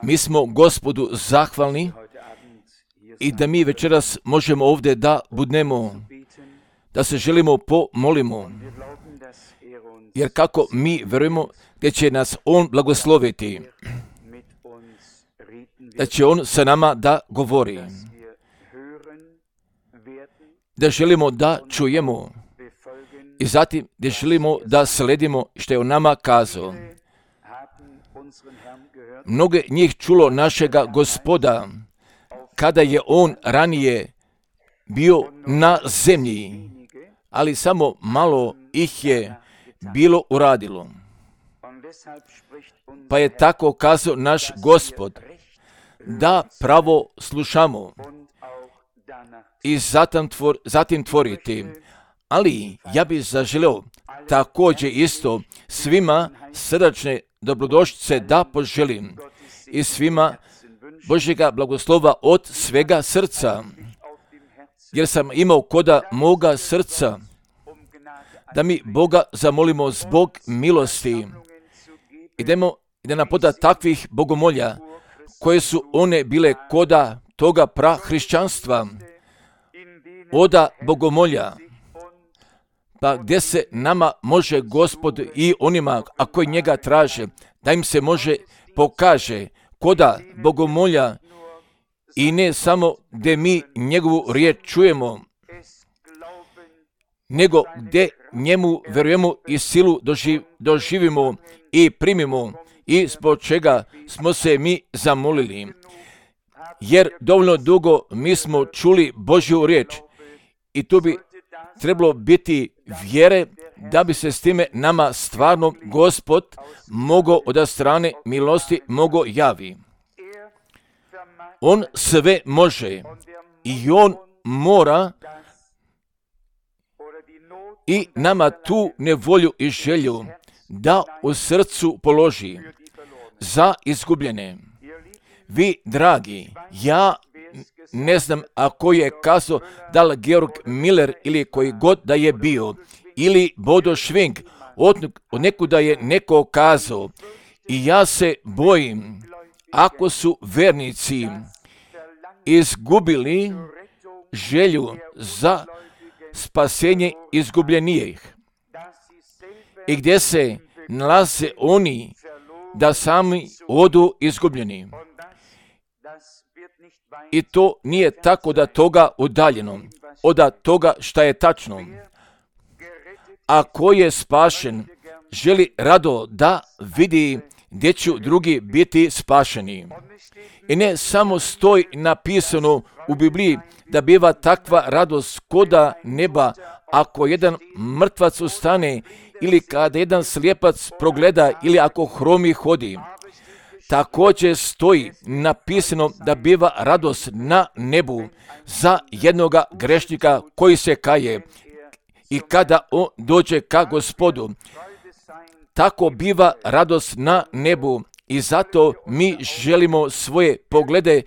Mi smo Gospodu zahvalni i da mi večeras možemo ovdje da budemo, da se želimo pomolimo, jer kako mi verujemo da će nas On blagosloviti, da će On sa nama da govori, da želimo da čujemo i zatim da želimo da sledimo što je On nama kazao. Mnoge njih čulo našega Gospoda kada je On ranije bio na zemlji, ali samo malo ih je bilo uradilo. Pa je tako kazao naš Gospod, da pravo slušamo i zatim tvoriti. Ali ja bih zaželio također isto svima srdačne dobrodošlice da poželim i svima Božjega blagoslova od svega srca, jer sam imao koda moga srca da mi Boga zamolimo zbog milosti i da nam poda takvih bogomolja koje su one bile koda toga prahrišćanstva, oda bogomolja, pa gdje se nama može Gospod i onima, a koji njega traže, da im se može pokaže koda bogomolja i ne samo gdje mi njegovu riječ čujemo, nego gdje njemu verujemo i silu doživimo i primimo i zbog čega smo se mi zamolili. Jer dovoljno dugo mi smo čuli Božju riječ i tu bi trebalo biti vjere da bi se s time nama stvarno Gospod mogao od strane milosti mogao javi. On sve može i On mora i nama tu nevolju i želju da u srcu položi za izgubljene. Vi, dragi, ja ne znam ako je kazao da li Georg Miller ili koji god da je bio, ili Bodo Schwing, od nekuda je neko kazao, i ja se bojim, ako su vernici izgubili želju za spasenje izgubljenijih i gdje se nalaze oni da sami odu izgubljeni. I to nije tako da toga udaljeno, od toga šta je tačno. A ko je spašen, želi rado da vidi gdje će drugi biti spašeni. I ne samo stoji napisano u Bibliji da biva takva radost koda neba ako jedan mrtvac ustane ili kada jedan slijepac progleda ili ako hromi hodi. Također stoji napisano da biva radost na nebu za jednoga grešnika koji se kaje i kada on dođe ka Gospodu. Tako biva radost na nebu i zato mi želimo svoje poglede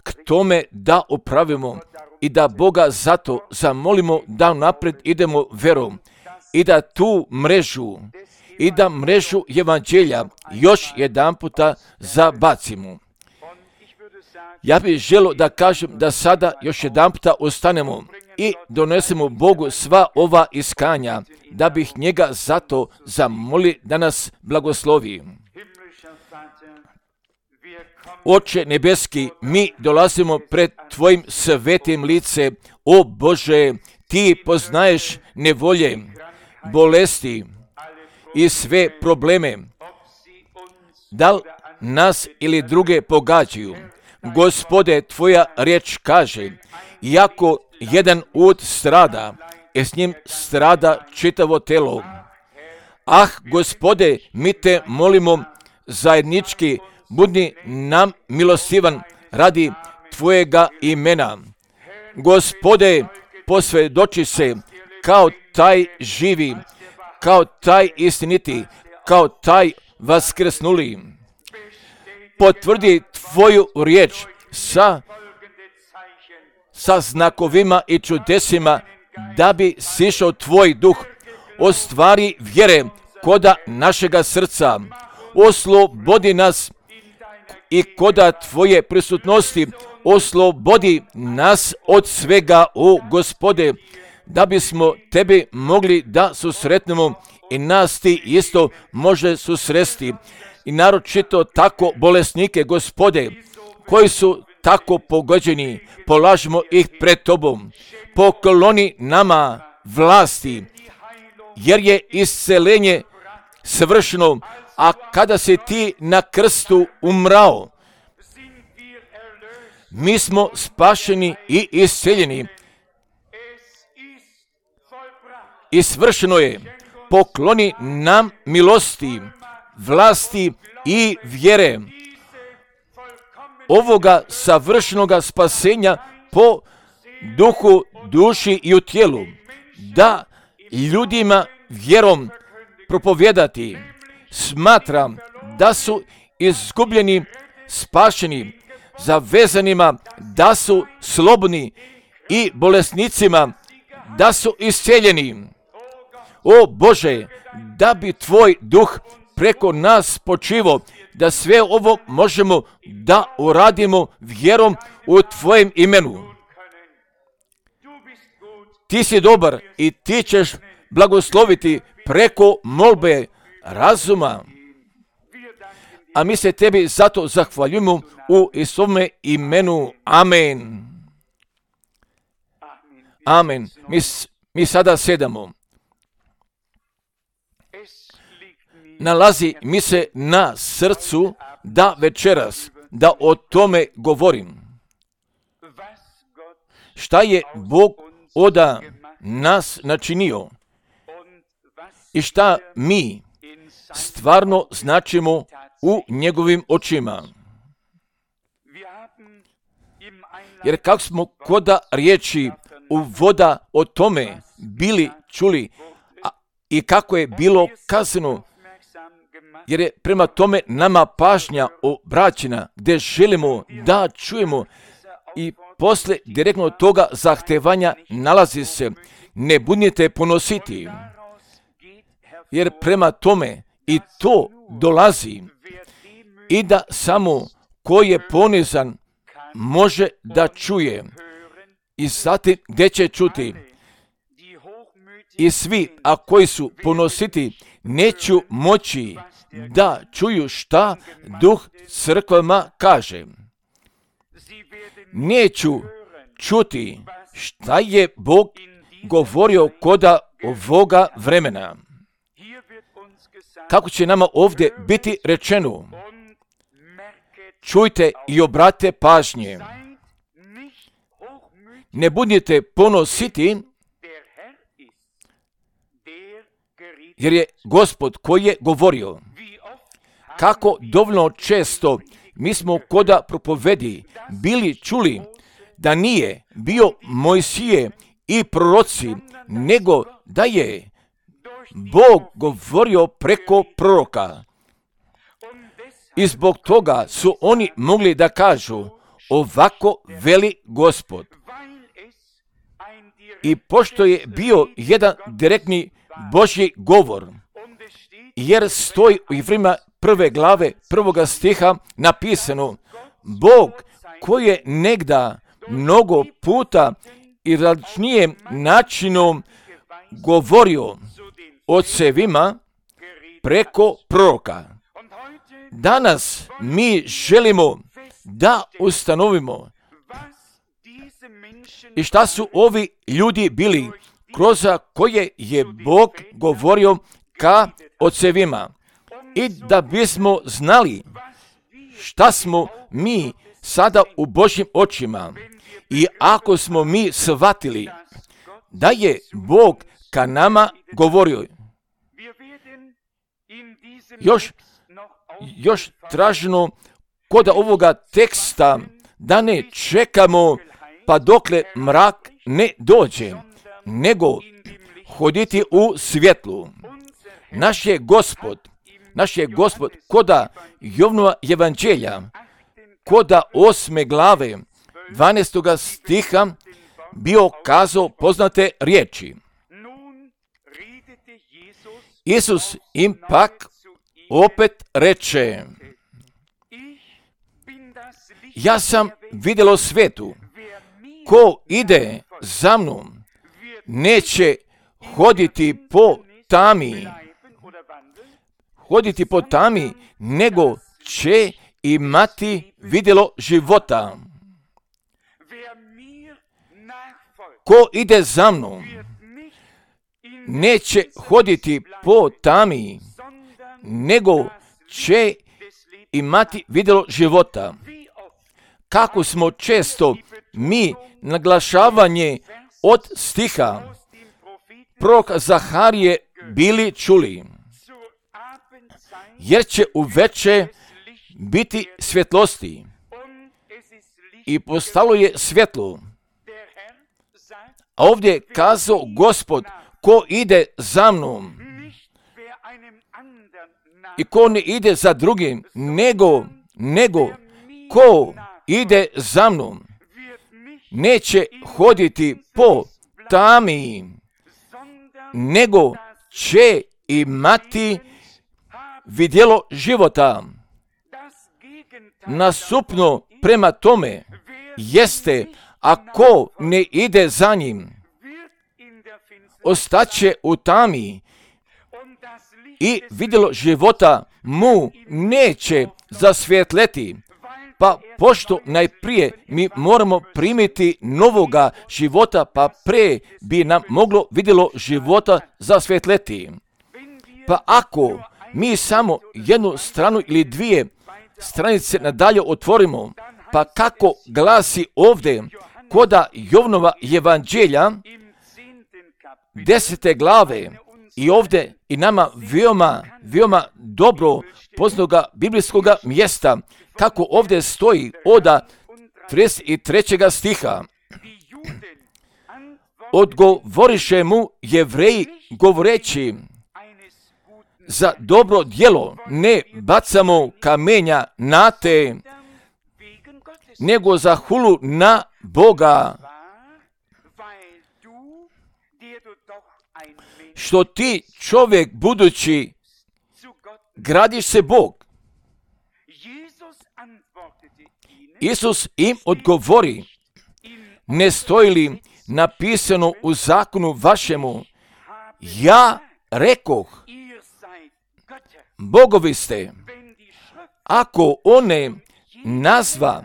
k tome da opravimo i da Boga zato zamolimo da napred idemo verom i da tu mrežu evanđelja još jedan puta zabacimo. Ja bih želio da kažem da sada još jedan puta ostanemo i donesemo Bogu sva ova iskanja, da bih njega zato zamoli da nas blagoslovi. Oče nebeski, mi dolazimo pred Tvojim svetim lice, o Bože, Ti poznaješ nevolje, bolesti i sve probleme, da li nas ili druge pogađaju. Gospode, Tvoja riječ kaže, iako jedan ud strada, s njim strada čitavo telo. Ah, Gospode, mi Te molimo zajednički, budi nam milostivan radi Tvojega imena. Gospode, posvjedoči se kao taj živi, kao taj istiniti, kao taj vaskrsnuli. Potvrdi Tvoju riječ sa znakovima i čudesima, da bi sišao Tvoj duh, ostvari vjere koda našega srca, oslobodi nas i koda Tvoje prisutnosti oslobodi nas od svega, o Gospode, da bismo Tebe mogli da susretnemo i nas Ti isto može susresti. I naročito tako bolesnike, Gospode, koji su tako pogođeni, polažimo ih pred Tobom. Pokloni nama vlasti, jer je isceljenje svršeno, a kada si Ti na krstu umrao, mi smo spašeni i isceljeni. I svršeno je. Pokloni nam milosti, vlasti i vjere ovoga savršenoga spasenja po duhu, duši i u tijelu, da ljudima vjerom propovijedati. Smatram da su izgubljeni, spašeni, zavezanima da su slobodni i bolesnicima da su isceljeni. O Bože, da bi Tvoj duh preko nas počivo, da sve ovo možemo da uradimo vjerom u Tvojem imenu. Ti si dobar i Ti ćeš blagosloviti preko molbe razuma. A mi se Tebi zato zahvaljujemo u Isovome imenu. Amen. Amen. Mi sada sedamo. Nalazi mi se na srcu da večeras, da o tome govorim. Šta je Bog od nas načinio i šta mi stvarno značimo u njegovim očima. Jer kako smo koda riječi uvoda o tome bili čuli i kako je bilo kazano, jer je prema tome nama pažnja obraćena, gdje želimo da čujemo i posle direktno toga zahtevanja nalazi se: ne budite ponositi, jer prema tome i to dolazi, i da samo ko je ponizan može da čuje. I zatim gdje će čuti? I svi, a koji su ponositi, neću moći da čuju šta Duh crkvama kaže. Neću čuti šta je Bog govorio koda ovoga vremena. Kako će nama ovdje biti rečeno? Čujte i obratite pažnje. Ne budite ponositi, jer je Gospod koji je govorio. Kako dovoljno često mi smo koda propovedi bili čuli da nije bio Mojsije i proroci, nego da je Bog govorio preko proroka. I zbog toga su oni mogli da kažu: ovako veli Gospod. I pošto je bio jedan direktni Božji govor, jer stoji u Jevrejima 1. glave 1. stiha napisano: Bog koji je negda mnogo puta i različnijim načinom govorio ocevima preko proroka. Danas mi želimo da ustanovimo i šta su ovi ljudi bili kroz koje je Bog govorio ka ocevima, i da bismo znali šta smo mi sada u Božjim očima. I ako smo mi shvatili da je Bog ka nama govorio, još traženo kod ovoga teksta da ne čekamo pa dokle mrak ne dođe, nego hoditi u svjetlu. Naš je Gospod koda Jovnova evanđelja, koda 8. glave 12. stiha bio kazao poznate riječi. Isus im pak opet reče: ja sam vidjelo svijetu. Ko ide za mnom, neće hoditi po tami, nego će imati vidjelo života. Ko ide za mnom, neće hoditi po tami, nego će imati vidjelo života. Kako smo često mi naglašavanje od stiha proroka Zaharije bili čuli, jer će uveče biti svjetlosti i postalo je svjetlo. A ovdje je kazao Gospod, ko ide za mnom i ko ne ide za drugim, nego ko ide za mnom, neće hoditi po tami, nego će imati vidjelo života. Nasupno prema tome jeste, ako ne ide za njim, ostaće u tami i vidjelo života mu neće zasvjetleti. Pa pošto najprije mi moramo primiti novoga života, pa pre bi nam moglo vidjelo života zasvjetleti. Pa ako mi samo jednu stranu ili dvije stranice nadalje otvorimo, pa kako glasi ovdje koda Jovanova evanđelja 10. glave, i ovdje i nama veoma dobro poznatoga biblijskog mjesta, kako ovdje stoji od 33. stiha. Odgovoriše mu Jevreji govoreći, za dobro djelo ne bacamo kamenja na te, nego za hulu na Boga. Što ti čovjek budući gradiš se Bog. Isus im odgovori, ne stoji li napisano u zakonu vašemu, ja rekoh, bogovi ste, ako one nazva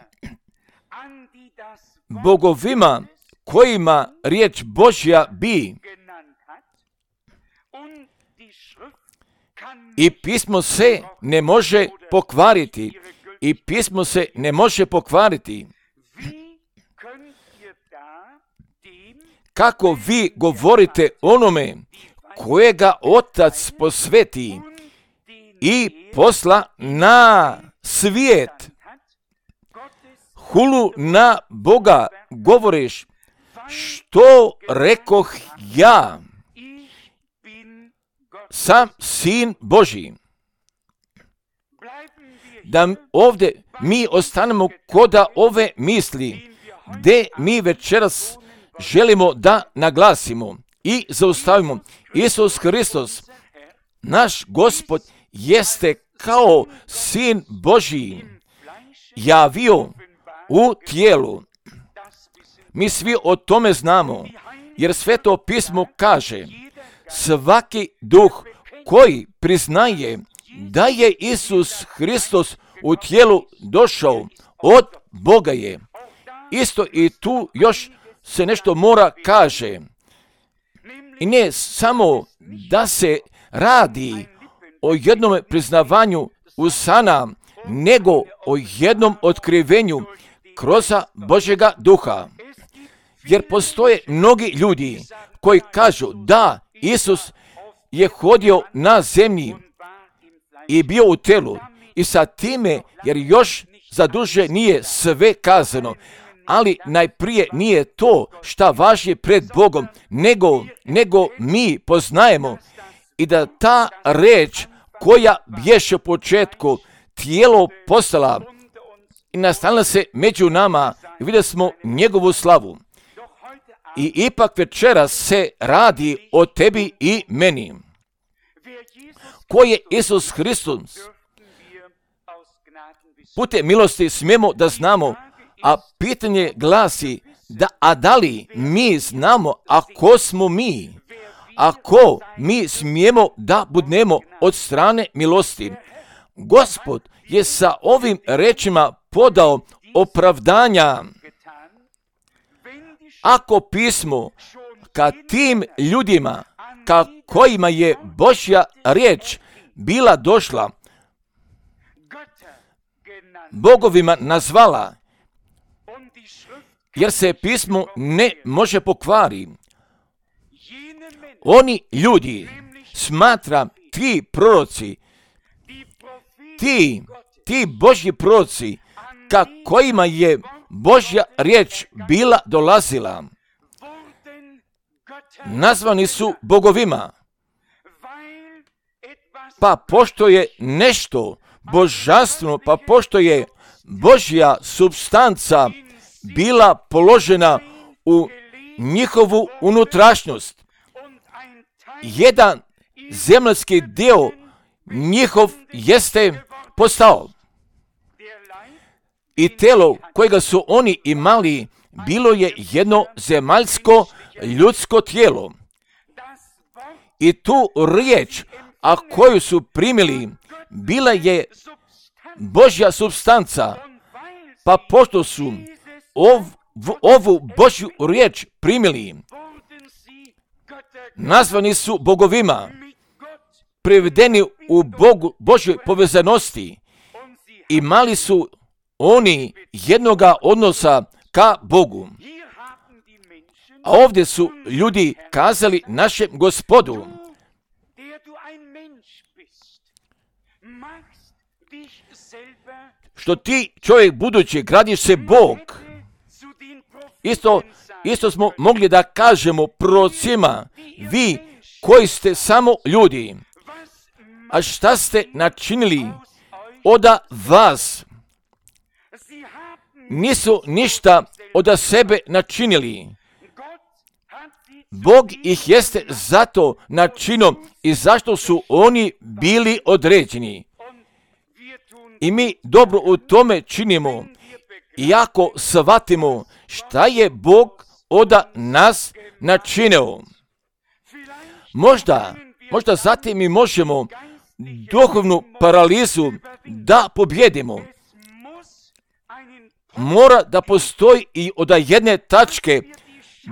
bogovima kojima riječ Božja bi, i pismo se ne može pokvariti. Kako vi govorite onome kojega Otac posveti i posla na svijet, hulu na Boga govoriš, što rekoh ja, sam Sin Božji. Da ovdje mi ostanemo koda ove misli, gdje mi večeras želimo da naglasimo i zaustavimo. Isus Hristos, naš Gospod, jeste kao Sin Božji javio u tijelu. Mi svi o tome znamo, jer Sveto pismo kaže, svaki duh koji priznaje da je Isus Hristos u tijelu došao od Boga je. Isto i tu još se nešto mora kaže. I ne samo da se radi o jednom priznavanju usana, nego o jednom otkrivenju kroz Božjega duha. Jer postoje mnogi ljudi koji kažu da Isus je hodio na zemlji i bio u telu i sa time, jer još za duže nije sve kazano, ali najprije nije to šta važi pred Bogom, nego mi poznajemo i da ta reč koja bješe u početku tijelo postala i nastanila se među nama i vidjeli smo njegovu slavu. I ipak večeras se radi o tebi i meni. Ko je Isus Hristos? putem milosti smijemo da znamo, a pitanje glasi, da li mi znamo, a ko smo mi? Ako mi smijemo da budemo od strane milosti? Gospod je sa ovim rečima podao opravdanja. Ako pismo ka tim ljudima ka kojima je Božja riječ bila došla, bogovima nazvala, jer se pismo ne može pokvari. Oni ljudi smatra ti proroci, ti Božji proroci ka kojima je Božja riječ bila dolazila, nazvani su bogovima. Pa pošto je nešto božanstveno, pa pošto je Božja supstanca bila položena u njihovu unutrašnjost, jedan zemaljski dio njihov jeste postao. I telo kojega su oni imali bilo je jedno zemaljsko ljudsko tijelo. I tu riječ, a koju su primili, bila je Božja supstanca. Pa pošto su ovu Božju riječ primili, nazvani su bogovima, privedeni u Božjoj povezanosti. Imali su oni jednoga odnosa ka Bogu. A ovdje su ljudi kazali našem Gospodu: što ti, čovjek budući, gradiš se Bog. Isto smo mogli da kažemo prorocima: vi koji ste samo ljudi, a šta ste načinili oda vas? Nisu ništa oda sebe načinili. Bog ih jeste zato načinio i zašto su oni bili određeni. I mi dobro u tome činimo, iako shvatimo šta je Bog oda nas načinio. Možda zatim mi možemo duhovnu paralizu da pobjedimo. Mora da postoji i od jedne tačke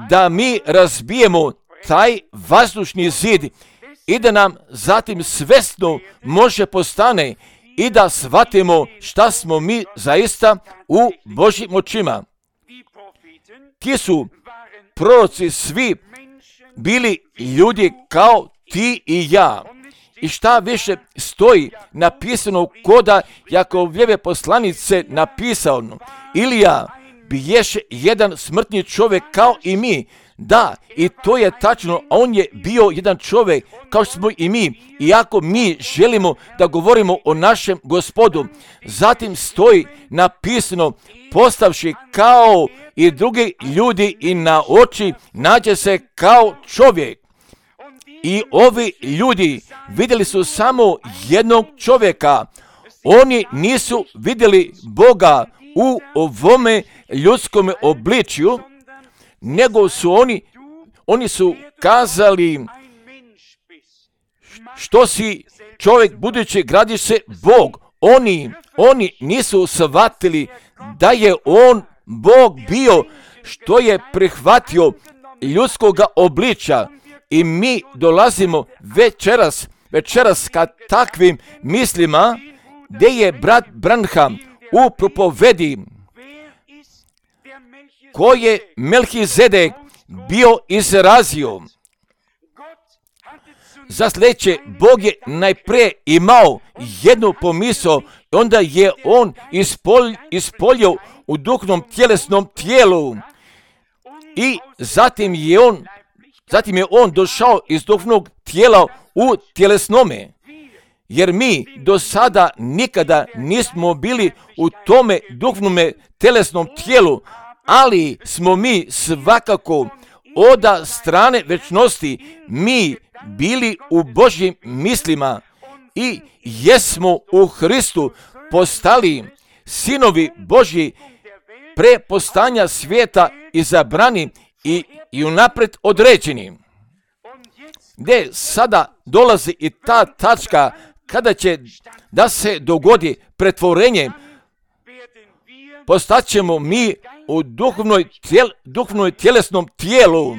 da mi razbijemo taj vazdušni zid i da nam zatim svesno može postane i da shvatimo šta smo mi zaista u Božjim očima. Ti su proroci svi bili ljudi kao ti i ja. I šta više stoji napisano koda Jakovljeve poslanice napisano: Ilija biješe jedan smrtni čovjek kao i mi. Da, i to je tačno, a on je bio jedan čovjek kao što smo i mi, iako mi želimo da govorimo o našem Gospodu. Zatim stoji napisano: postavši kao i drugi ljudi i na oči nađe se kao čovjek. I ovi ljudi vidjeli su samo jednog čovjeka. Oni nisu vidjeli Boga u ovome ljudskome obličju, nego su oni su kazali: što si čovjek budući, gradiš se Bog. Oni nisu shvatili da je on Bog bio, što je prihvatio ljudskoga obličja. I mi dolazimo večeras ka takvim mislima, gdje je brat Branham u propovedi koji je Melhizedek bio izrazio. Za sljedeće, Bog je najprije imao jednu pomisao, onda je on ispoljio u duhovnom tjelesnom tijelu i zatim je on došao iz duhovnog tijela u tjelesnome. Jer mi do sada nikada nismo bili u tome duhovnome tjelesnom tijelu, ali smo mi svakako od strane večnosti mi bili u Božjim mislima i jesmo u Hristu postali sinovi Božji pre postanja svijeta izabrani i unaprijed određeni. Gdje sada dolazi i ta tačka kada će da se dogodi pretvorenje, postaćemo mi u duhovnoj tjelesnom tijelu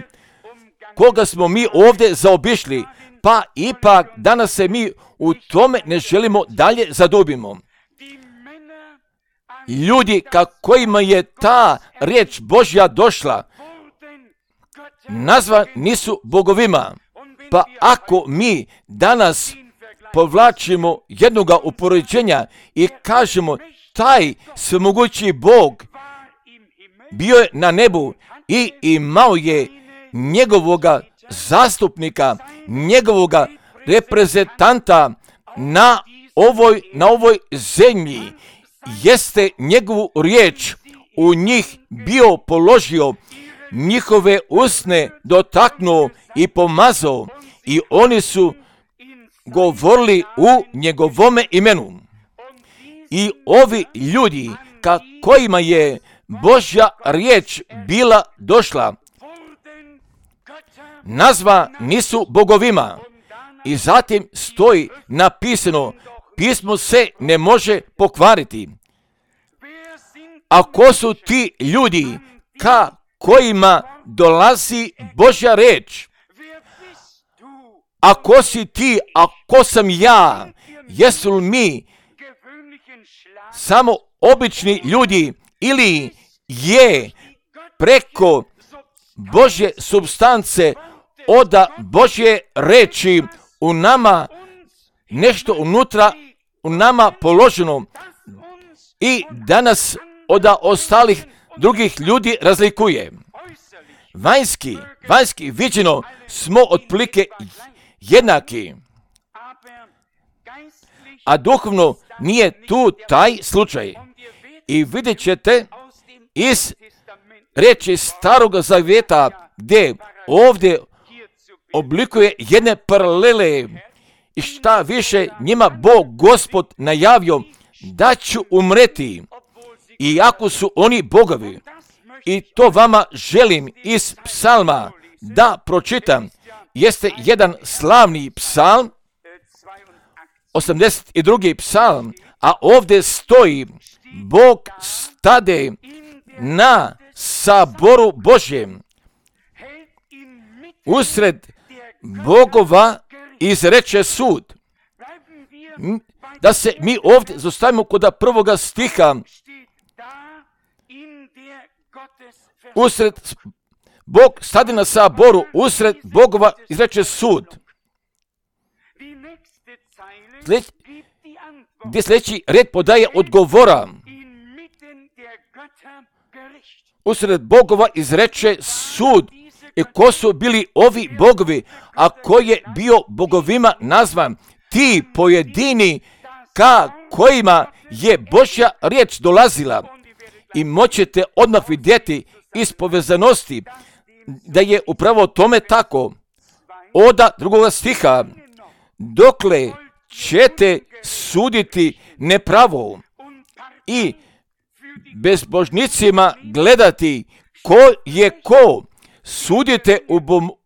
koga smo mi ovdje zaobišli, pa ipak danas se mi u tome ne želimo dalje zadubimo. Ljudi kojima je ta riječ Božja došla, nazva nisu bogovima, pa ako mi danas povlačimo jednoga upoređenja i kažemo taj svemogući Bog bio je na nebu i imao je njegovoga zastupnika, njegovoga reprezentanta na ovoj zemlji, jeste njegovu riječ u njih bio položio, njihove usne dotaknuo i pomazao i oni su govorili u njegovome imenu. I ovi ljudi kojima je Božja riječ bila došla, nazva nisu bogovima. I zatim stoji napisano, pismo se ne može pokvariti. A ko su ti ljudi kojima dolazi Božja riječ? A ko si ti, a ko sam ja? Jesu li mi samo obični ljudi ili je preko Božje supstance od Božje reči u nama nešto unutra u nama položeno i danas od ostalih drugih ljudi razlikuje. Vanjski viđeno smo otprilike jednaki, a duhovno nije tu taj slučaj. I vidjet ćete iz riječi Starog Zavjeta gdje ovdje oblikuje jedne paralele i šta više njima Bog Gospod najavio da ću umreti, iako su oni bogovi. I to vama želim iz psalma da pročitam. Jeste jedan slavni psalm, 82. psalm, a ovdje stoji Bog stade na saboru Božjem, usred bogova izreče sud. Da se mi ovdje zostavimo kod prvoga stiha, usred Bog stade na saboru, usred bogova izreče sud. Gdje sljedeći red podaje odgovora. Usred bogova izreče sud. I ko su bili ovi bogovi, a ko je bio bogovima nazvan? Ti pojedini kojima je Božja riječ dolazila. I moćete odmah vidjeti iz povezanosti da je upravo tome tako. Od drugoga stiha, dokle ćete suditi nepravo i bezbožnicima gledati ko je ko, sudite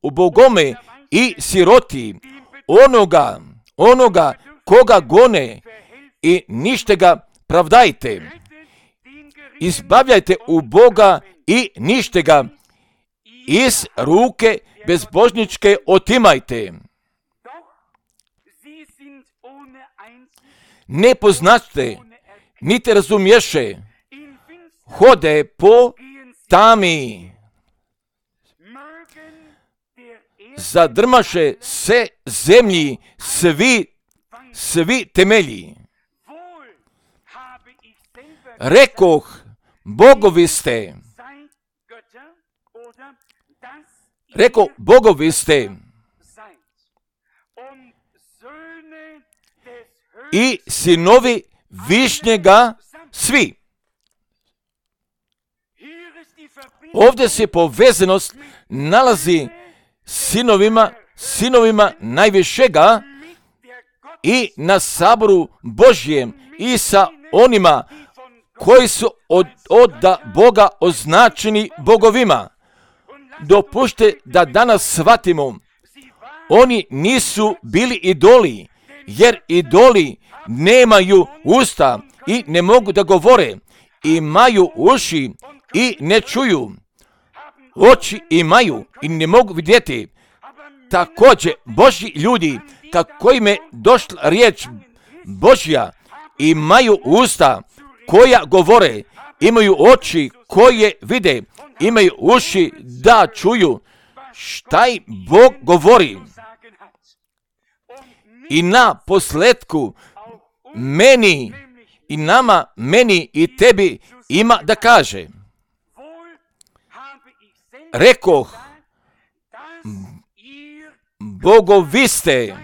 u bogome i siroti, onoga koga gone i nište ga pravdajte. Izbavljajte u Boga i nište ga iz ruke bezbožničke otimajte. Ne poznaste, niti razumješe, hode po tami. Zadrmaše se zemlji svi temelji. Rekoh, bogovi ste. Reko, bogovi ste. I sinovi Višnjega svi. Ovdje se povezanost nalazi sinovima najvišega i na saboru Božjem i sa onima koji su od Boga označeni bogovima. Dopušte da danas shvatimo, oni nisu bili idoli, jer idoli nemaju usta i ne mogu da govore, imaju uši i ne čuju, oči imaju i ne mogu vidjeti. Također, Božji ljudi, kako im je došla riječ Božja, imaju usta koja govore, imaju oči koje vide, imaju uši da čuju šta im Bog govori. I na posletku meni i nama, meni i tebi ima da kaže. Rekoh, bogovi ste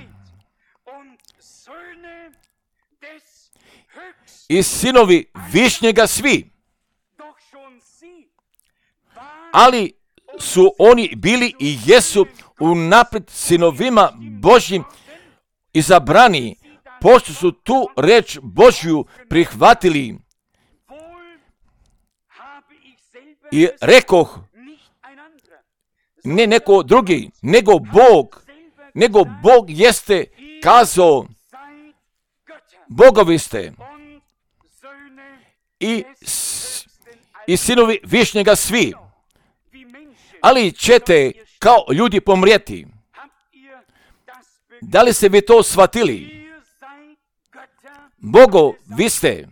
i sinovi Višnjega svi, ali su oni bili i jesu unaprijed sinovima Božjim izabrani, pošto su tu reč Božju prihvatili. I rekoh, ne neko drugi, nego Bog jeste kazao, bogovi ste i sinovi Višnjega svi, ali ćete kao ljudi pomrijeti. Da li ste vi to shvatili? Bogovi ste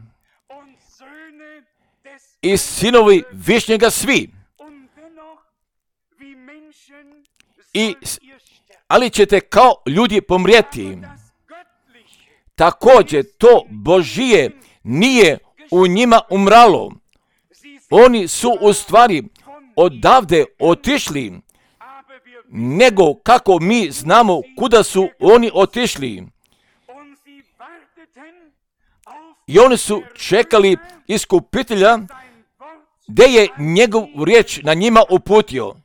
i sinovi Višnjega svi, ali ćete kao ljudi pomrijeti. Također to Božije nije u njima umralo. Oni su u stvari odavde otišli, nego kako mi znamo kuda su oni otišli. I oni su čekali iskupitelja, gdje je njegov riječ na njima uputio.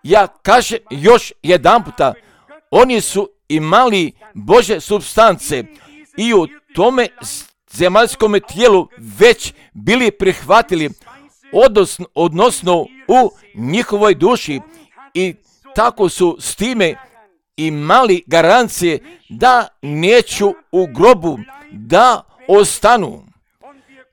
Ja kažem još jedan puta, oni su imali Božje supstance i u tome zemaljskom tijelu već bili prihvatili, odnosno u njihovoj duši, i tako su s time imali garancije da neću u grobu, da ostanu.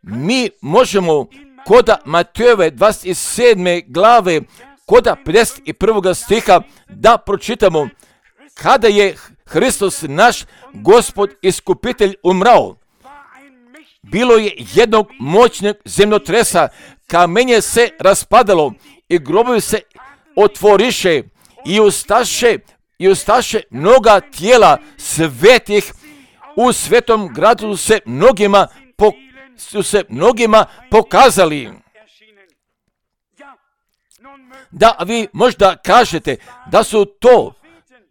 Mi možemo koda Matejove 27. glave, koda 51. stiha da pročitamo, kada je Hristos naš Gospod iskupitelj umrao, bilo je jednog moćnog zemljotresa, kamenje se raspadalo i grobovi se otvoriše i ustaše mnoga tijela svetih u svetom gradu se mnogima pokazali. Da vi možda kažete da su to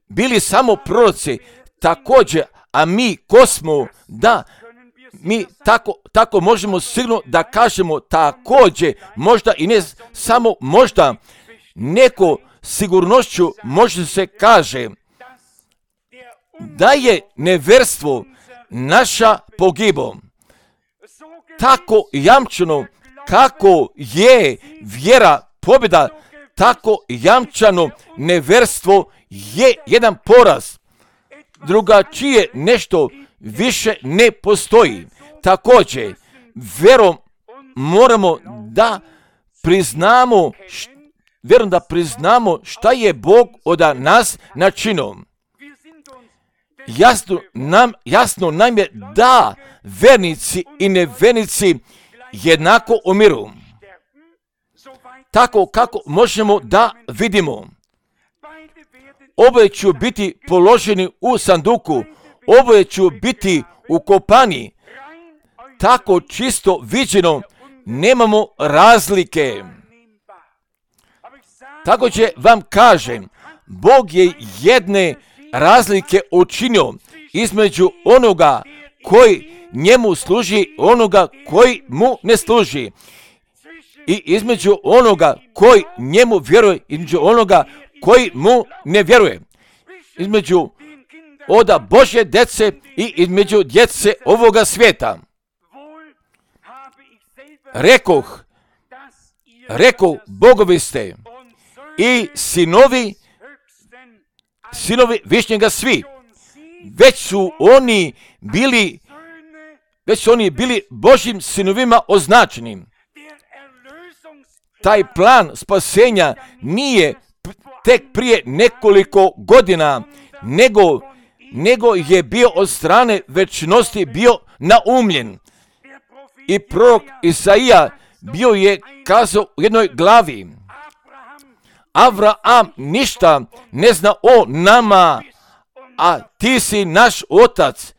bili samo proroci, također, a mi ko smo, da mi tako možemo sigurno da kažemo također, možda i ne samo možda, neko sigurnošću može se kaže da je nevjerstvo naša pogibo. Tako jamčeno kako je vjera pobjeda, tako jamčano nevjerstvo je jedan poraz. Drugačije nešto više ne postoji. Također, vjerom moramo da priznamo šta je Bog od nas načinio. Jasno nam je da vernici i nevernici jednako umiru. Tako kako možemo da vidimo. Oboje će biti položeni u sanduku, oboje će biti ukopani. Tako čisto viđeno nemamo razlike. Također vam kažem, Bog je jedne razlike učinio između onoga koji njemu služi, onoga koji mu ne služi. I između onoga koji njemu vjeruje, između onoga koji mu ne vjeruje. Između oda Božje djece i između djece ovoga svijeta. rekoh, bogovi ste i sinovi Višnjega svi. Već su oni bili Božjim sinovima označeni. Taj plan spasenja nije tek prije nekoliko godina, nego je bio od strane večnosti bio naumljen. I prorok Isaija bio je kazao u jednoj glavi: Avraham ništa ne zna o nama, a ti si naš otac,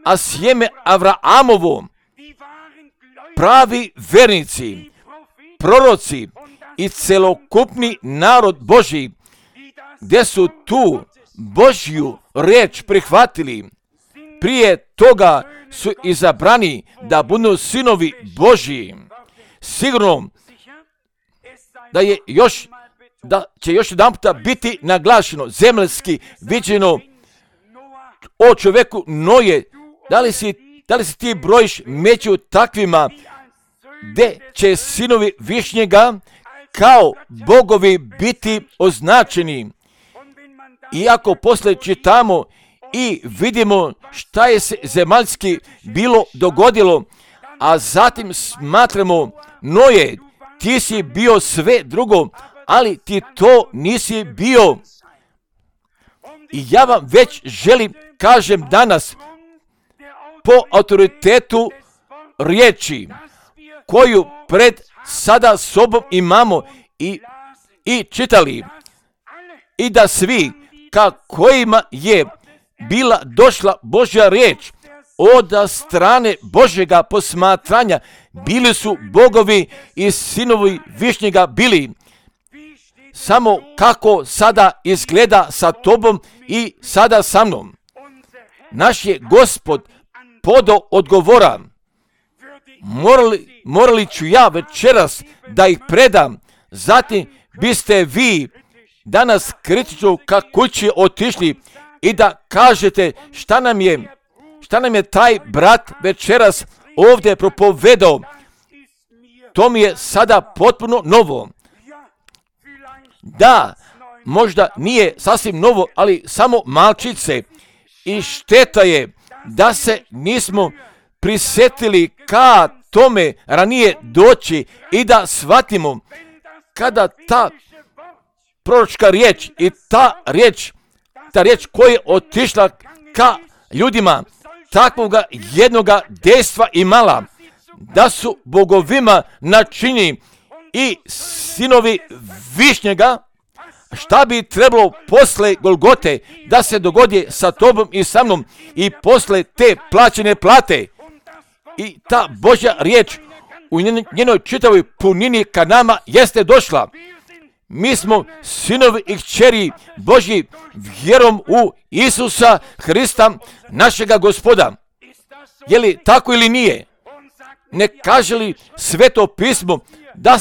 a sjeme Avrahamovo, pravi vernici, proroci i celokupni narod Božji, gdje su tu Božju riječ prihvatili, prije toga su izabrani da budu sinovi Božji. Sigurno da će još jedan puta biti naglašeno, zemaljski viđeno o čovjeku Noje. Da li si ti brojiš među takvima gdje će sinovi Višnjega kao bogovi biti označeni? Iako poslije čitamo i vidimo šta je se zemaljski bilo dogodilo, a zatim smatramo: Noje, ti si bio sve drugo, ali ti to nisi bio. I ja vam već želim kažem danas, po autoritetu riječi koju pred sada sobom imamo i čitali, i da svi ka kojima je bila došla Božja riječ od strane Božjega posmatranja, bili su bogovi i sinovi Višnjega bili. Samo kako sada izgleda sa tobom i sada sa mnom. Naš je Gospod podao odgovora. Morali ću ja večeras da ih predam, zatim biste vi danas kritično ka kući otišli i da kažete šta nam je taj brat večeras ovdje propovedao. To mi je sada potpuno novo. Da, možda nije sasvim novo, ali samo malčice. I šteta je da se nismo prisjetili ka tome ranije doći i da shvatimo kada ta proročka riječ i ta riječ koja je otišla ka ljudima takvoga jednoga dejstva imala, da su bogovima načinjeni i sinovi Višnjega. Šta bi trebalo posle Golgote da se dogodi sa tobom i sa mnom i posle te plaćene plate? I ta Božja riječ u njenoj čitavoj punini ka nama jeste došla. Mi smo sinovi i kćeri Božji vjerom u Isusa Hrista, našega Gospoda. Je li tako ili nije? Ne kaže li Sveto pismo da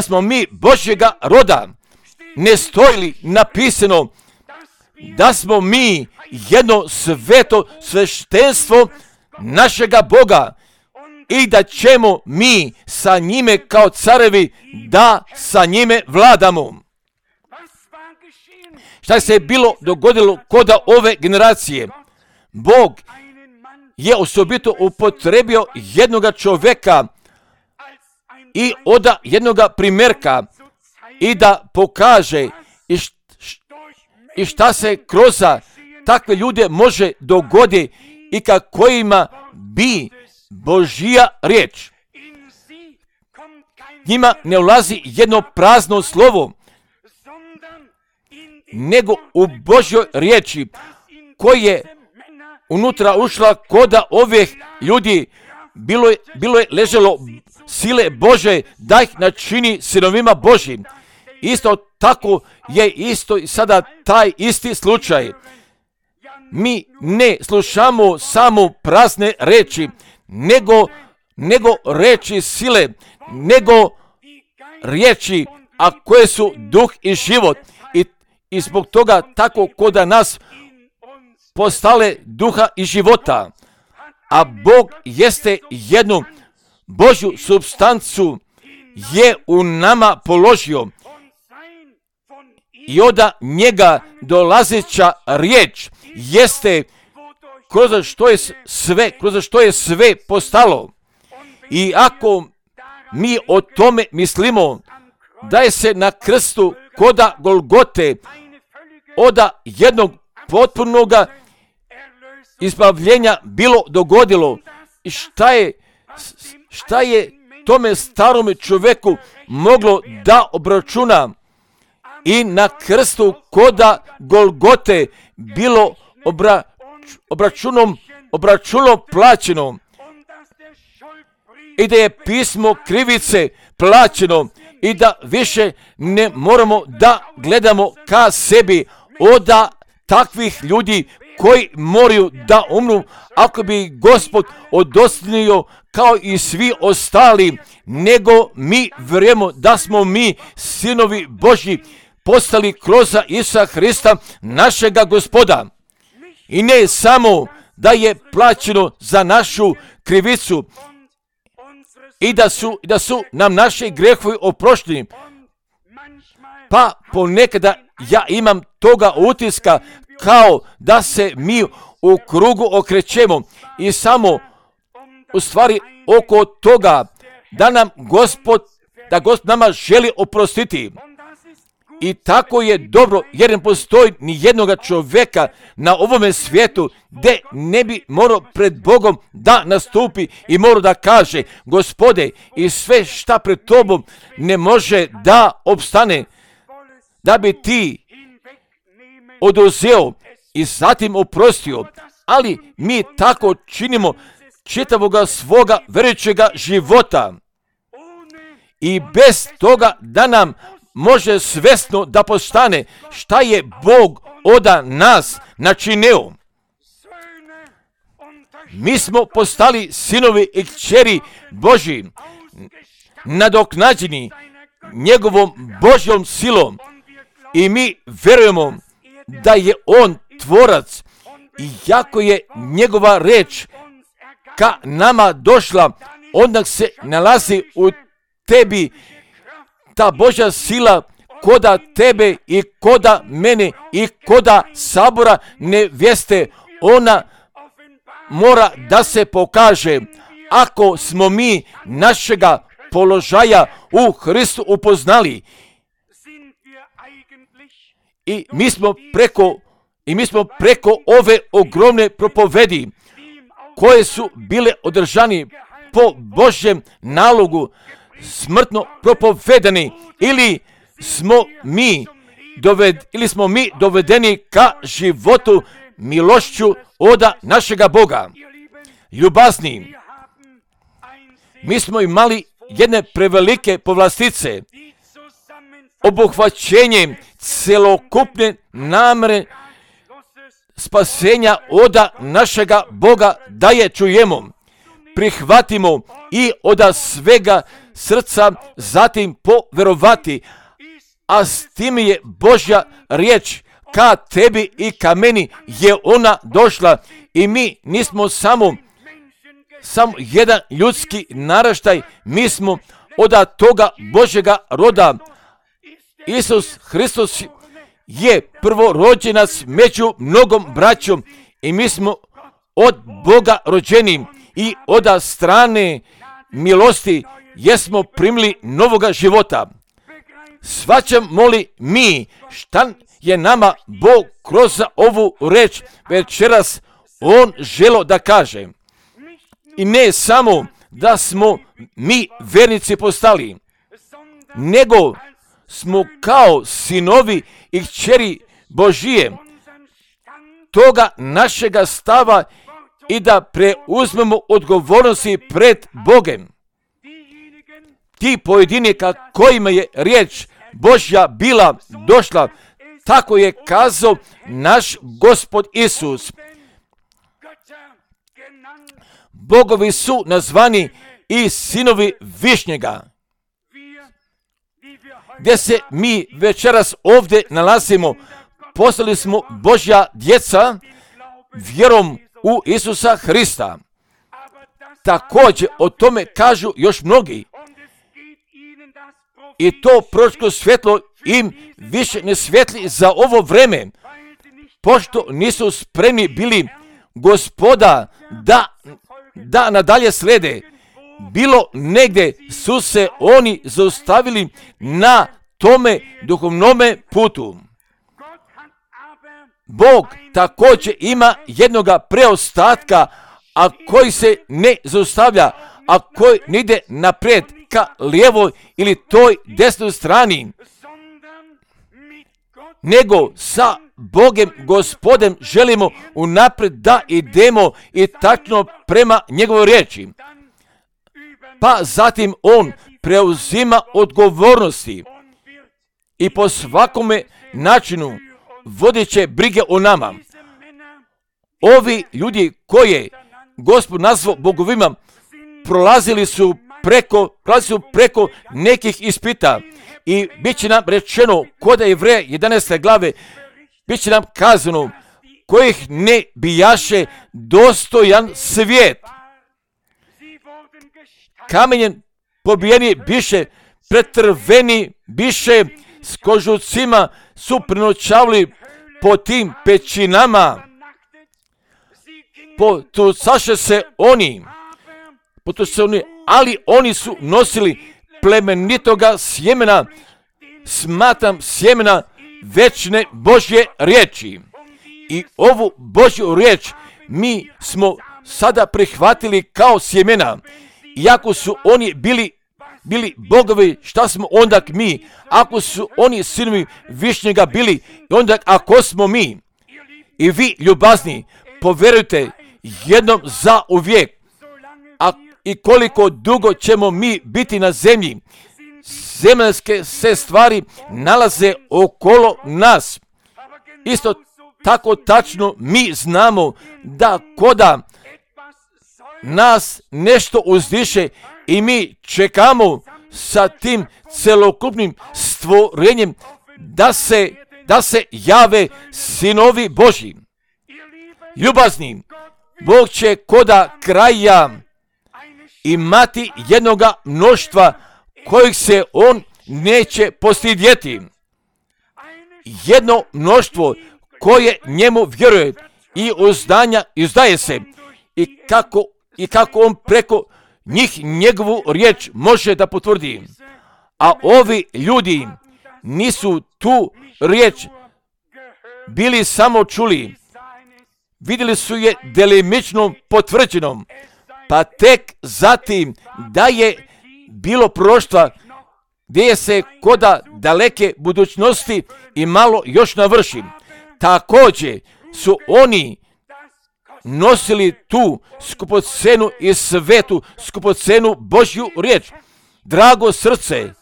smo mi Božjega roda? Ne stoji li napisano da smo mi jedno sveto sveštenstvo našega Boga i da ćemo mi sa njime kao carevi da sa njime vladamo? Šta se bilo dogodilo kod ove generacije? Bog je osobito upotrebio jednoga čovjeka i oda jednoga primjerka i da pokaže i šta se kroz takve ljude može dogoditi i ka kojima bi Božja riječ. Njima ne ulazi jedno prazno slovo, nego u Božjoj riječi koje je unutra ušla koda ovih ljudi, bilo je leželo sile Bože da ih načini sinovima Božjim. Isto tako je isto i sada taj isti slučaj. Mi ne slušamo samo prazne reči, nego reči sile, nego riječi, a koje su duh i život. I zbog toga tako koda nas postale duha i života. A Bog jeste jednu Božju supstancu je u nama položio i od njega dolazeća riječ jeste kroz što je sve postalo. I ako mi o tome mislimo da je se na krstu koda Golgote od jednog potpunoga izbavljenja bilo dogodilo, i šta je tome starome čovjeku moglo da obračuna, i na krstu koda Golgote bilo obračunom plaćeno, i da je pismo krivice plaćeno, i da više ne moramo da gledamo ka sebi od takvih ljudi koji moraju da umru, ako bi Gospod odostojio kao i svi ostali, nego mi vjerujemo da smo mi sinovi Božji postali kroz Isusa Hrista, našega Gospoda. I ne samo da je plaćeno za našu krivicu i da su nam naši grehovi oprošteni, pa ponekada ja imam toga utiska kao da se mi u krugu okrećemo i samo u stvari oko toga da Gospod nama želi oprostiti. I tako je dobro, jer ne postoji ni jednoga čovjeka na ovome svijetu gdje ne bi morao pred Bogom da nastupi i morao da kaže: Gospode, i sve šta pred tobom ne može da opstane, da bi ti oduzeo i zatim oprostio. Ali mi tako činimo čitavoga svoga vjerujućega života i bez toga da nam može svesno da postane šta je Bog od nas načinio. Mi smo postali sinovi i kćeri Božji, nadoknađeni njegovom Božjom silom, i mi vjerujemo da je on tvorac, i jako je njegova reč ka nama došla, onda se nalazi u tebi ta Božja sila koda tebe i koda mene i koda sabora nevjeste. Ona mora da se pokaže ako smo mi našega položaja u Hristu upoznali. I mi smo preko ove ogromne propovedi koje su bile održani po Božjem nalogu smrtno propovedani, ili smo mi dovedeni ka životu milošću od našega Boga. Ljubazni, mi smo imali jedne prevelike povlastice, obuhvaćenje celokupne namere spasenja od našega Boga da je čujemo, prihvatimo i od svega srca zatim poverovati, a s tim je Božja riječ ka tebi i ka meni je ona došla, i mi nismo samo jedan ljudski naraštaj, mi smo od toga Božjega roda. Isus Hristos je prvorođenac među mnogom braćom, i mi smo od Boga rođeni i od strane milosti jesmo primili novoga života. Shvaćamo li mi šta je nama Bog kroz ovu reč večeras on želo da kaže? I ne samo da smo mi vernici postali, nego smo kao sinovi i kćeri Božije toga našega stava i da preuzmemo odgovornosti pred Bogem. Ti pojedinika kojima je riječ Božja bila došla, tako je kazao naš Gospod Isus. Bogovi su nazvani i sinovi višnjega. Gdje se mi večeras ovdje nalazimo, postali smo Božja djeca vjerom u Isusa Hrista. također o tome kažu još mnogi. I to proročko svjetlo im više ne svijetli za ovo vreme, pošto nisu spremni bili Gospoda da nadalje slede. Bilo negdje su se oni zaustavili na tome duhovnome putu. Bog također ima jednoga preostatka, a koji se ne zaustavlja, a koji ne ide naprijed ka lijevoj ili toj desnoj strani, nego sa Bogem Gospodem želimo unaprijed da idemo i tačno prema njegovoj riječi. Pa zatim on preuzima odgovornosti i po svakome načinu vodit će brige o nama. Ovi ljudi koje Gospod nazvao bogovima prolazili su preko nekih ispita i bit će nam rečeno kod Jevreja 11. glave, bit će nam kazano kojih ne bijaše dostojan svijet. Kamenjem pobijeni biše, pretrveni biše, s kožucima su prenoćavali po tim pećinama. Potucaše se oni, ali oni su nosili plemenitoga sjemena, smatram sjemena večne Božje riječi. I ovu Božju riječ mi smo sada prihvatili kao sjemena. Iako su oni bili bogovi, šta smo onda mi? Ako su oni sinovi Višnjega bili, onda ako smo mi? I vi, ljubazni, povjerujte jednom za uvijek. I koliko dugo ćemo mi biti na zemlji, zemaljske se stvari nalaze okolo nas. Isto tako tačno mi znamo da koda nas nešto uzdiše i mi čekamo sa tim celokupnim stvorenjem da se jave sinovi Božji. Ljubazni, Bog će koda kraja imati jednoga mnoštva kojih se on neće postidjeti. Jedno mnoštvo koje njemu vjeruje i uzdaje se i kako on preko njih njegovu riječ može da potvrdi. A ovi ljudi nisu tu riječ bili samo čuli, vidjeli su je delimično potvrđenom, pa tek zatim da je bilo proroštva gdje se koda daleke budućnosti i malo još navrši. Također su oni nosili tu skupocenu i svetu skupocenu Božju riječ. Drago srce,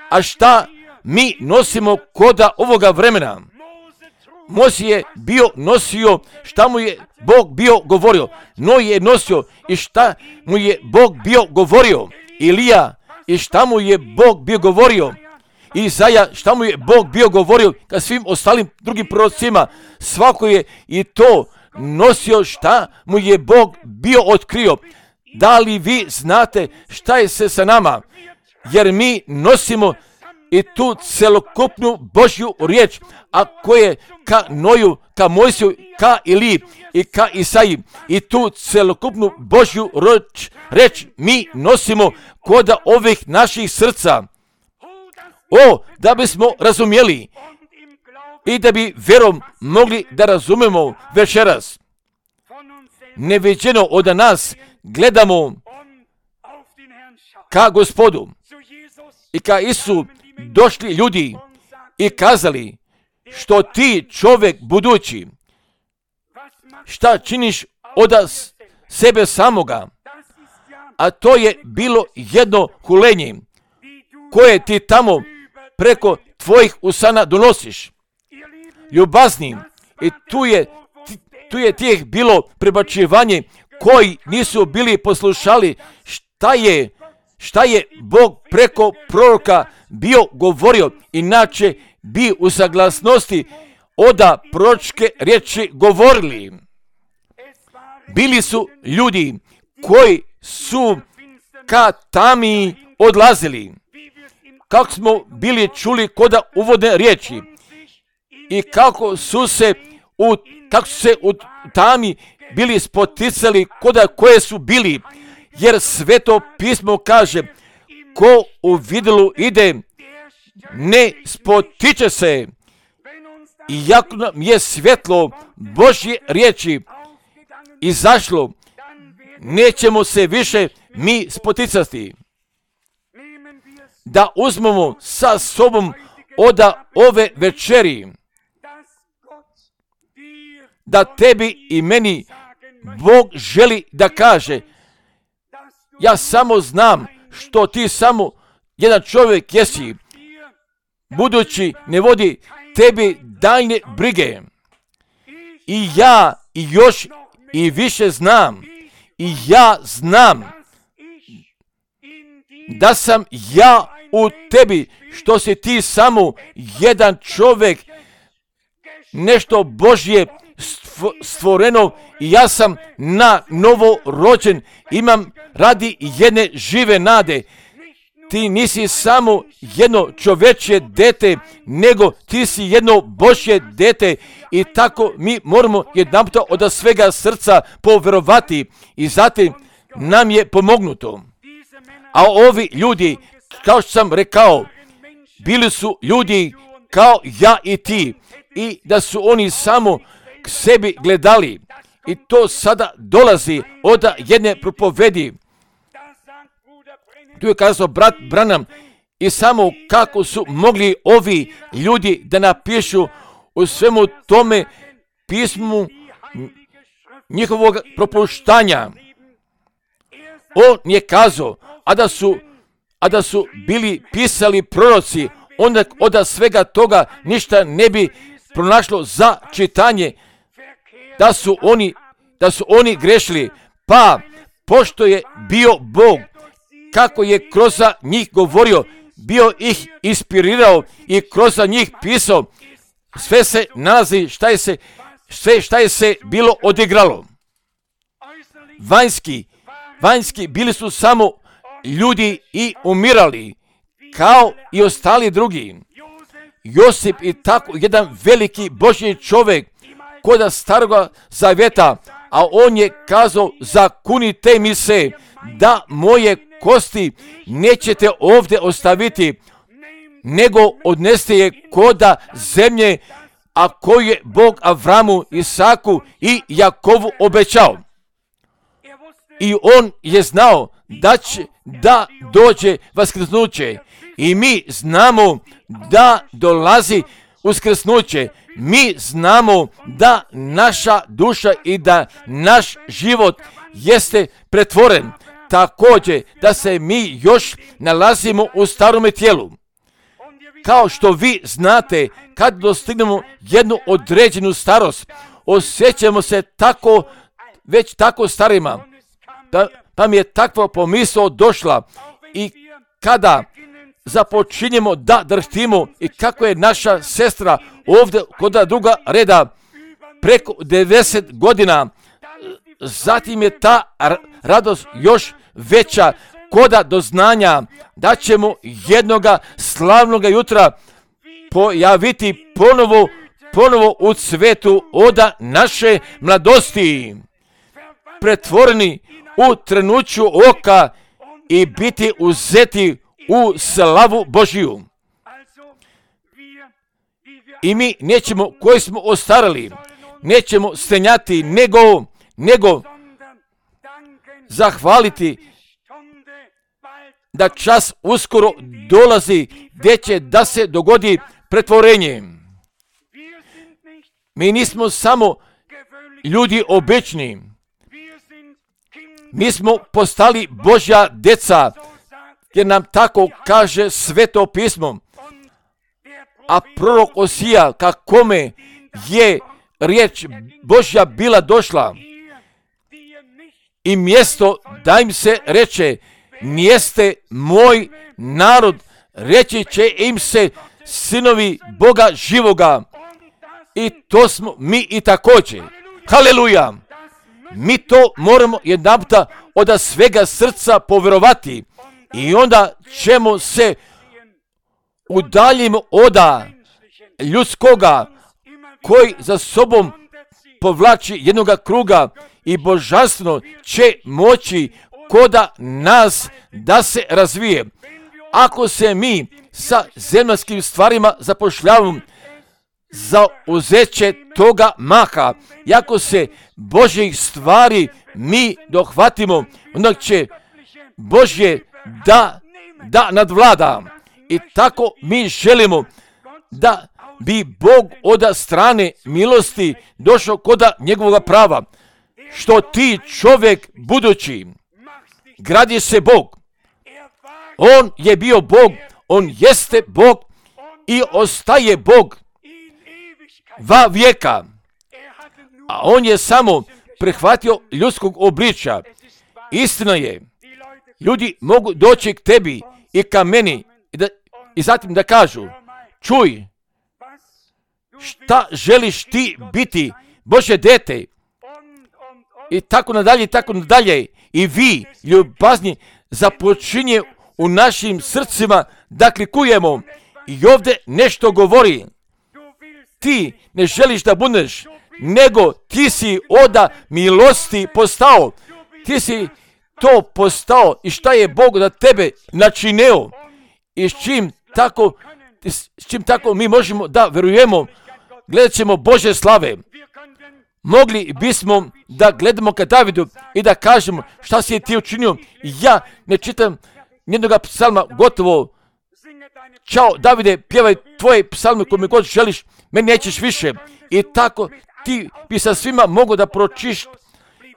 a šta mi nosimo koda ovoga vremena? Mojsije je nosio šta mu je Bog bio govorio. Noj je nosio i šta mu je Bog bio govorio. Ilija i šta mu je Bog bio govorio. Izaja šta mu je Bog bio govorio ka svim ostalim drugim prorocima. Svako je i to nosio šta mu je Bog bio otkrio. Da li vi znate šta je se sa nama? Jer mi nosimo i tu celokupnu Božju riječ, a koje ka Noju, ka Mojsiju, ka Iliji i ka Isaiji. I tu celokupnu Božju riječ mi nosimo koda ovih naših srca. Da bismo razumjeli i da bi vjerom mogli da razumemo večeras. Neviđeno od nas gledamo ka Gospodu i ka Isu došli ljudi i kazali, što ti čovjek budući, šta činiš od sebe samoga, a to je bilo jedno hulenje koje ti tamo preko tvojih usana donosiš. Ljubazni, i tu je tih bilo prebačivanje koji nisu bili poslušali šta je Bog preko proroka bio govorio, inače bi u saglasnosti oda proročke riječi govorili. Bili su ljudi koji su ka tami odlazili. Kako smo bili čuli koda uvodne riječi i kako su se u tami bili spoticali koda koje su bili, jer Sveto pismo kaže, ko u vidilu ide, ne spotiče se. Iako nam je svjetlo Božje riječi izašlo, nećemo se više mi spoticati. Da uzmemo sa sobom od ove večeri, da tebi i meni Bog želi da kaže, ja samo znam što ti samo jedan čovjek jesi, budući ne vodi tebi daljne brige. I ja i još i više znam, i ja znam da sam ja u tebi, što si ti samo jedan čovjek, nešto Božje stvoreno, i ja sam na novo rođen, imam radi jedne žive nade. Ti nisi samo jedno čovječje dete, nego ti si jedno Božje dete, i tako mi moramo jedanput od svega srca povjerovati, i zatim nam je pomognuto. A ovi ljudi, kao što sam rekao, bili su ljudi kao ja i ti, i da su oni samo k sebi gledali, i to sada dolazi od jedne propovedi. Tu je kazao brat Branham, i samo kako su mogli ovi ljudi da napišu u svemu tome pismu njihovog propuštanja. On je kazao, a da su bili pisali proroci, onda od svega toga ništa ne bi pronašlo za čitanje, da su oni grešili. Pa, pošto je bio Bog, kako je kroz njih govorio, bio ih inspirirao i kroz njih pisao, sve se nalazi šta je se bilo odigralo. Vanjski bili su samo ljudi i umirali, kao i ostali drugi. Josip i tako jedan veliki Božji čovjek koda Staroga Zavjeta, a on je kazao, zakunite mi se da moje kosti nećete ovdje ostaviti, nego odneste je koda zemlje, a koju je Bog Avramu, Isaku i Jakovu obećao. I on je znao da dođe vaskrsnuće, i mi znamo da dolazi uskrsnuće. Mi znamo da naša duša i da naš život jeste pretvoren, također da se mi još nalazimo u starome tijelu. Kao što vi znate, kad dostignemo jednu određenu starost, osjećamo se već tako starima, pa mi je takva pomisao došla, i kada započinjemo da drhtimo, i kako je naša sestra ovdje kod druga reda preko 90 godina, zatim je ta radost još veća koda doznanja da ćemo jednoga slavnoga jutra pojaviti ponovo u cvetu od naše mladosti, pretvoreni u trenuću oka i biti uzeti u slavu Božiju. I mi nećemo, koji smo ostarali, nećemo stenjati, nego zahvaliti da čas uskoro dolazi gdje će da se dogodi pretvorenje. Mi nismo samo ljudi obični, mi smo postali Božja deca, jer nam tako kaže Sveto pismo. A prorok Osija, kakome je riječ Božja bila došla, i mjesto da im se reče, nijeste moj narod, reći će im se sinovi Boga živoga. I to smo mi i također. Haleluja! Mi to moramo jedanputa od svega srca povjerovati i onda ćemo se udaljimo od ljudskoga koji za sobom povlači jednoga kruga i božanstveno će moći koda nas da se razvije. Ako se mi sa zemaljskim stvarima zapošljavamo za uzeće toga maha, i ako se Božjih stvari mi dohvatimo, onda će Božje da nadvlada. I tako mi želimo da bi Bog od strane milosti došao koda njegovoga prava. Što ti čovjek budući, gradi se Bog. On je bio Bog, on jeste Bog i ostaje Bog va vijeka. A on je samo prihvatio ljudskog obličja. Istina je, ljudi mogu doći k tebi i ka meni i zatim da kažu, čuj, šta želiš ti biti, Božje dete? I tako nadalje, i tako nadalje. I vi, ljubazni, započinje u našim srcima da klikujemo. I ovdje nešto govori. Ti ne želiš da budeš, nego ti si od milosti postao. Ti si to postao i šta je Bog da tebe načinio. I s čim tako mi možemo da verujemo, gledat ćemo Božje slave. Mogli bismo da gledamo ka Davidu i da kažemo šta si ti učinio. Ja ne čitam nijednoga psalma gotovo. Ćao Davide, pjevaj tvoje psalme kome god želiš, meni nećeš više. I tako ti bi sa svima mogao da pročiš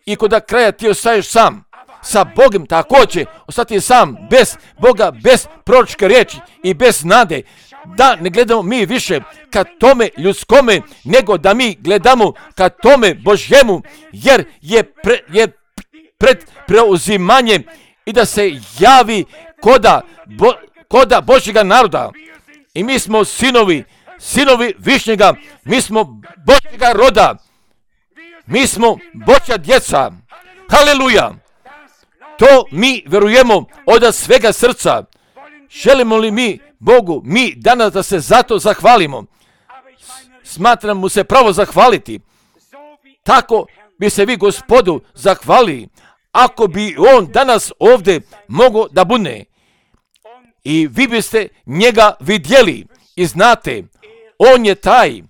i kod kraja ti ostaješ sam. Sa Bogom također ostati sam, bez Boga, bez proročke riječi i bez nade. Da ne gledamo mi više ka tome ljudskome, nego da mi gledamo ka tome Božjemu, jer je pred preuzimanjem i da se javi koda Božjega naroda. I mi smo sinovi Višnjega, mi smo Božjega roda, mi smo Božja djeca. Haleluja! To mi verujemo od svega srca. Želimo li mi Bogu, mi danas da se zato zahvalimo? Smatram mu se pravo zahvaliti. Tako bi se vi Gospodu zahvalili, ako bi on danas ovdje mogao da bude. I vi biste njega vidjeli i znate, on je taj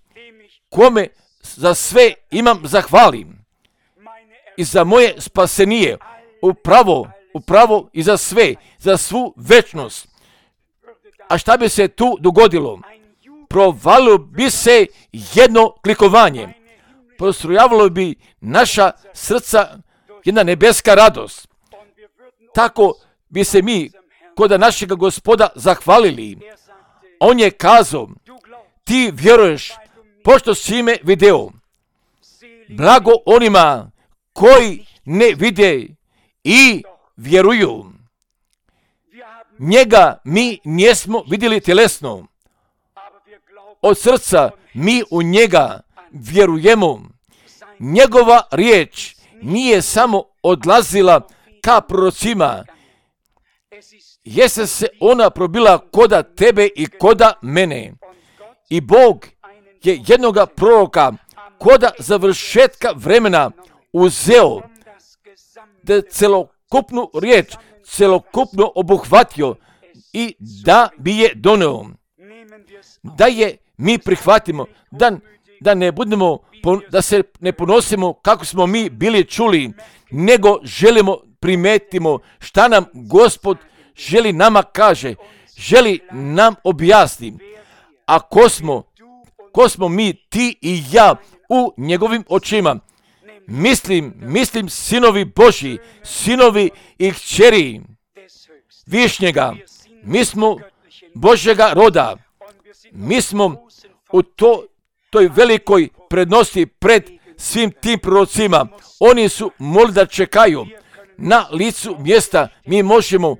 kome za sve imam zahvalim. I za moje spasenije, upravo i za sve, za svu večnost. A šta bi se tu dogodilo? Provalilo bi se jedno klikovanje. Prostrujavalo bi naša srca jedna nebeska radost. Tako bi se mi kod našega Gospoda zahvalili. On je kazao, ti vjeruješ, pošto si me video. Blago onima koji ne vide i vjeruju. Njega mi nismo vidjeli tjelesno. Od srca mi u njega vjerujemo. Njegova riječ nije samo odlazila ka prorocima. Jeste se ona probila koda tebe i koda mene. I Bog je jednoga proroka koda završetka vremena uzeo da celokupnu riječ, celokupno obuhvatio i da bi je doneo. Da je mi prihvatimo, da ne budemo, da se ne ponosimo kako smo mi bili čuli, nego želimo primetimo šta nam Gospod želi nama kaže, želi nam objasni. A ko smo mi, ti i ja u njegovim očima? Mislim sinovi Božji, sinovi i kćeri Višnjega. Mi smo Božjega roda. Mi smo u toj velikoj prednosti pred svim tim prorocima. Oni su molili da čekaju na licu mjesta. Mi možemo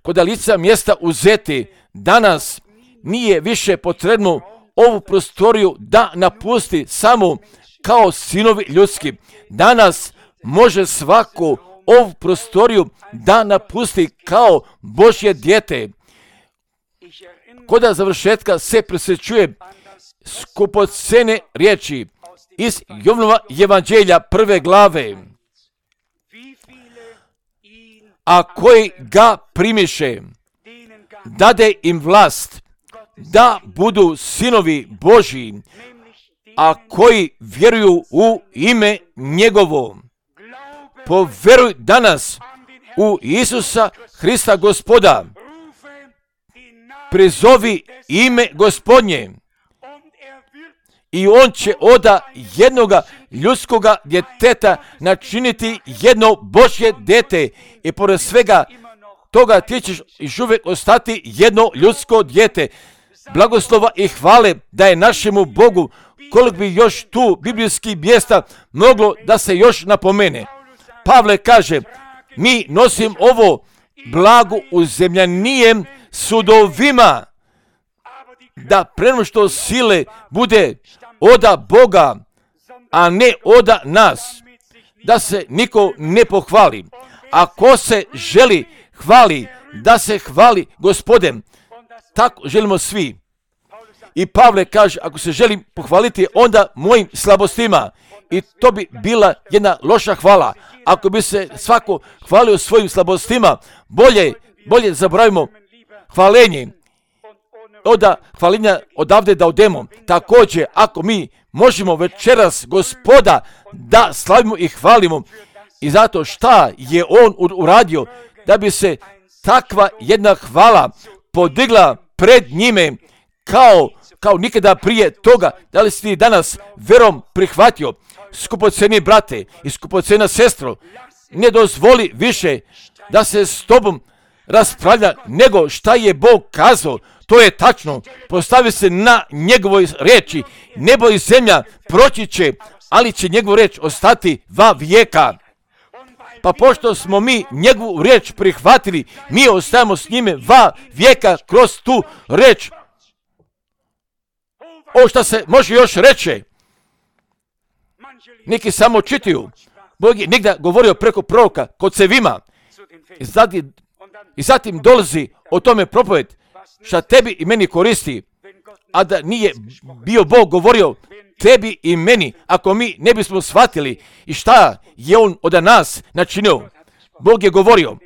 kod lica mjesta uzeti. Danas nije više potrebno ovu prostoriju da napusti samo kao sinovi ljudski. Danas može svaku ovu prostoriju da napusti kao Božje dijete. Kod završetka se prisjećuje skupocjene riječi iz Jovanova evanđelja 1. glave. A koji ga primiše, dade im vlast da budu sinovi Božji, a koji vjeruju u ime njegovo. Povjeruj danas u Isusa Hrista Gospoda. Prizovi ime Gospodnje i on će od jednoga ljudskoga djeteta načiniti jedno Božje dijete i pored svega toga ti ćeš još uvijek ostati jedno ljudsko dijete. Blagoslova i hvale da je našemu Bogu, koliko bi još tu biblijskih mjesta moglo da se još napomene. Pavle kaže, mi nosim ovo blago uzemljanijem sudovima, da prema što sile bude oda Boga, a ne oda nas, da se niko ne pohvali. Ako se želi hvali, da se hvali Gospodem, tako želimo svi. I Pavle kaže, ako se želim pohvaliti, onda mojim slabostima. I to bi bila jedna loša hvala. Ako bi se svako hvalio svojim slabostima, bolje zaboravimo hvalenje. Oda hvalinja odavde da odemo. Također, ako mi možemo večeras Gospoda da slavimo i hvalimo, i zato šta je on uradio, da bi se takva jedna hvala podigla pred njime kao nikada prije toga. Da li si ti danas verom prihvatio? Skupocjeni brate i skupocjena sestro, ne dozvoli više da se s tobom raspravlja nego šta je Bog kazao. To je tačno. Postavi se na njegovoj riječi. Nebo i zemlja proći će, ali će njegova riječ ostati va vijeka. Pa pošto smo mi njegovu riječ prihvatili, mi ostajemo s njime va vijeka kroz tu riječ. O što se može još reći? Neki samo čitaju. Bog je nigda govorio preko proroka kod Sevima. I zatim dolazi o tome propoved šta tebi i meni koristi, a da nije bio Bog govorio tebi i meni, ako mi ne bismo shvatili i šta je on od nas načinio. Bog je govorio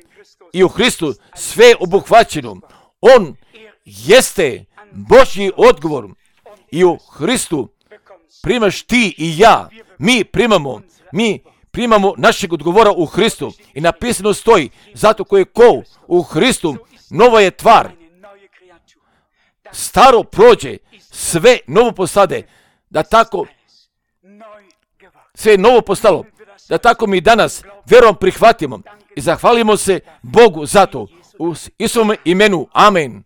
i u Hristu sve obuhvaćeno. On jeste Božji odgovor i u Hristu primaš ti i ja. Mi primamo našeg odgovora u Hristu i napisano stoji, zato ko je ko u Hristu, nova je tvar. Staro prođe, sve novo postade, da tako sve je novo postalo, da tako mi danas vjerom prihvatimo i zahvalimo se Bogu za to. U Isusovom imenu, amen.